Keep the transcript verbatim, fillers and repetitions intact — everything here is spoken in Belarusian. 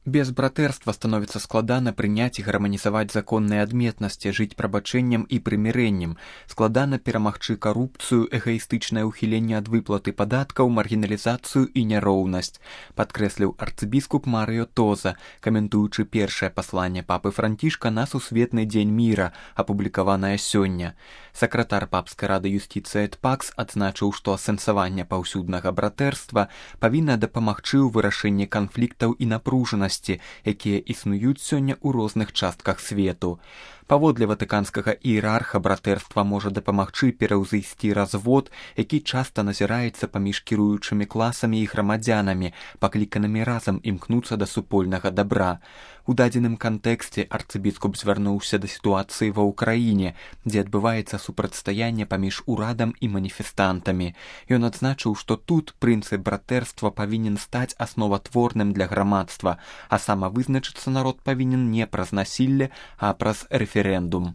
Без братэрства становіцца складана прыняць і гарманізаваць законныя адметнасці, жыць прабачэннем і прымірэннем, складана перамагчы карупцыю, эгаістычнае ўхіленне ад выплаты падаткаў, маргіналізацыю і няроўнасць, падкрэсліў арцыбіскуп Марыё Тоза, каментуючы першае пасланне папы Францішка на Сусветны дзень міра, апублікаванае сёння. Сакратар папскай рады юстыцыі эт пакс адзначыў, што асэнсаванне паўсюднага братэрства павінна дапамагчы ў вырашэнні канфліктаў і напружанасці, якія існуюць сёння ў розных частках свету. Паводле ватыканскага іерарха братэрства можа дапамагчы пераўзысці развод, які часта назіраецца паміж кіруючымі класамі і грамадзянамі, пакліканымі разам імкнуцца да супольнага дабра. У дадзеным кантэксце арцыбіскуп звярнуўся да сітуацыі ва ўкраіне, дзе адбываецца супрацьстаянне паміж урадам і маніфестантамі. Ён адзначыў, што тут прынцып братэрства павінен стаць асноватворным для грамадства, а самавызначыцца народ павінен не праз насілле, а праз рэферэндум.